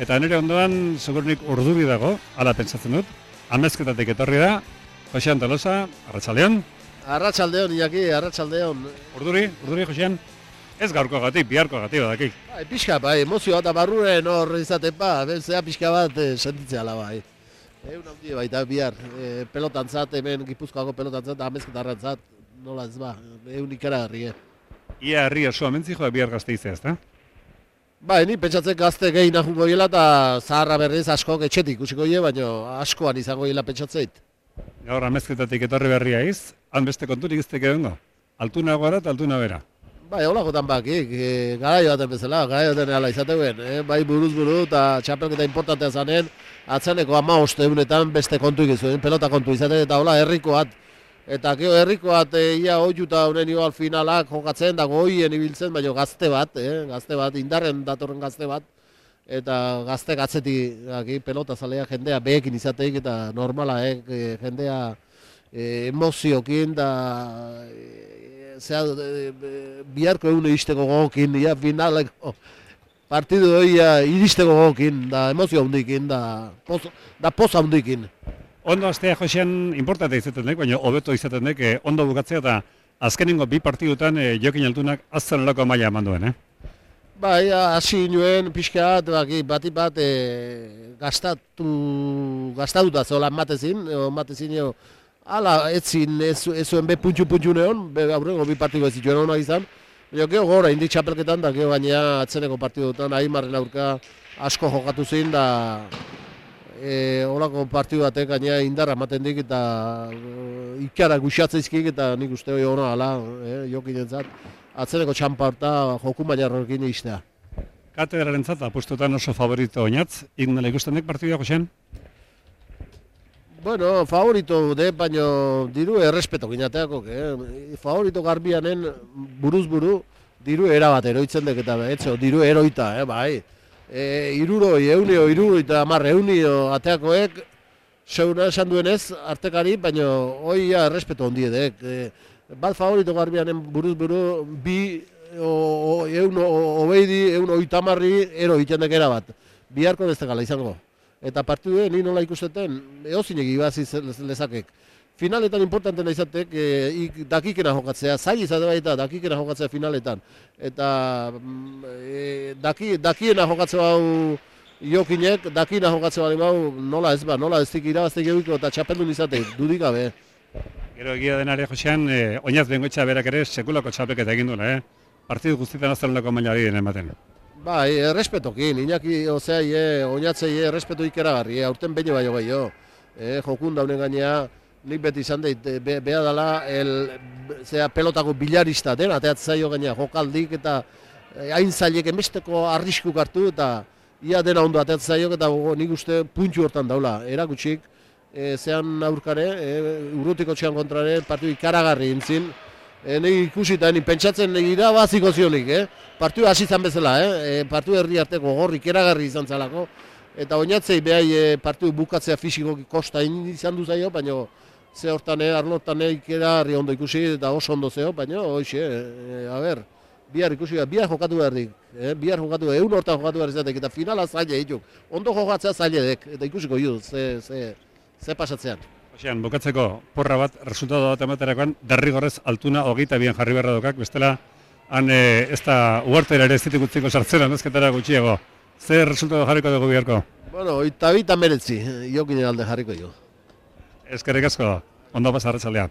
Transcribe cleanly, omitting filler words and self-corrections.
Eta nire ondoan, segurunik urduri dago, hala pentsatzen dut. Amezketatik etorri da, Josean Tolosa, arratsaldeon. Arratsaldeon, Iñaki, arratsaldeon. Urduri, Josean. Ez gaurkoagatik, biharkoagatik badakik. Bai, pixka, bai, emozioa eta barruren hor izaten zea pixka bat sentitzea la bai. Egun handi baita bihar, pelotantzat, hemen Gipuzkoako pelotantzat, amezketarrantzat, nola ez ba, egun ikaragarri. Ia herri osoa mentzi joa bihar Gasteizea, ezta? Bai, ni pentsatzen gazte gehi nahungo hiela eta zaharra berriz askok etxetik ikusiko hile, baina askoan izango hiela pentsatzeit. Gaur amezketatik etorri berria iz, han beste konturik izteke egongo. Altuna gara eta altuna bera. Bai, holakotan bakik, garaio baten bezala, garaio baten ala izateuen, bai buruz buru eta txapelketa importantea zanen, atzeneko 15 egunetan beste kontu ikizuen, pelota kontu izaten eta hola herrikoat. Eta gero herrikoat ia oiuta honen igual finalak jokatzen, dago hoien ibiltzen, baina gazte bat, indarren datorren gazte bat, eta gazte atzetik pelota zalea jendea behekin izateik eta normala, jendea emoziokin da biharko egun iristeko gogokin, ia finaleko partidu hori iristeko gogokin, da emozio handikin, da poza handikin. Ondo astea Josean importante izaten dek, baina hobeto izaten dek, ondo bukatzea eta azkenengo bi partidutan Jokin Altunak azten loko maila eman duen, Bai, hasi nuen pixka bat gastatuta zeola ematezin, hala etzin ez zuen be puntxu neon, aurrengo bi partidu ez zituen honak izan, baina geho gora indik txapelketan, da geho baina atzeneko partidutan Aimarren aurka asko jokatu zin, da holako partidu batek gaina indarra ematen dik eta ikara guxatzeizkik eta nik uste hori hona ala, Jokin entzat, atzeneko txampa horta joku mainarrokin iztea. Katedraren zat, apustutan oso favorito oinatz, ikundela ikusten dek partidua, Josean? Bueno, favorito de, baina diru errespeto ginateako, favorito garbianen buruz buru, diru erabat eroitzen dek eta diru eroita, bai. Iruroi, eta eunio ateakoek, seuna esan duenez, artekari, baina hoi errespeto ondiedek. Bat favorito garbianen buruz buru, bi eun oitamarri ero itendek erabat. Biharko bestekala izango. Eta partidue, ni nola ikusteten, eozinek ibaziz lezakek. Finaletan importantena izatek, dakikena jokatzea, zail izate baita dakikena jokatzea finaletan. Eta dakiena jokatzea hau Jokinek, dakiena jokatzea hau nola ez dik irabaztek egiko eta txapeldun izate, dudik gabe. Gero egia denare, Josean, oinaz bengoetxa berak ere sekulako txapelketa egin duela, Partidu guztietan azalendako mailari den ematen. Bai, errespetokin, Iñaki, oinatzei errespetu ikeragarri, aurten behin baino gehiago. Jokun daunen gainea, nik beti izan dut, beha dela, pelotako bilarista den, ateatzaio gainea, jokaldik eta hain zailek emesteko arriskuk hartu eta ia dena ondo ateatzaio eta nik uste puntxu hortan daula. Erakutsik, zean aurkare, urrutiko txean kontrare, partidu ikaragarri intzin, nik ikusita, nik pentsatzen irabaziko zionik, partidu hasi izan bezala, partidu herri arteko gorrik ikaragarri izan zalako, eta oinatzei behai partidu bukatzea fisikoki kosta izan du zaio, baina ze hortan, arlotan ikeragarri ondo ikusi eta oso ondo zeo, baina hoxe, bihar ikusi, bihar jokatu beharrik, bihar jokatu, egun hortan jokatu behar izatek, eta finala zaila dituk, ondo jokatzea zailedek, eta ikusiko ju, ze pasatzean. Josean, bukatzeko porra bat, resultado bat ematerakoan, derrigorrez Altuna 22 jarri beharra dokak, bestela, han ez da uartera ere ez ditik utziko sartzera, nezketara gutxiago. Zer resultado jarriko dugu biharko? Bueno, 22 meretzi, Jokinen alde jarriko jo. Eskerrik asko, ondo pasa arratsaldea.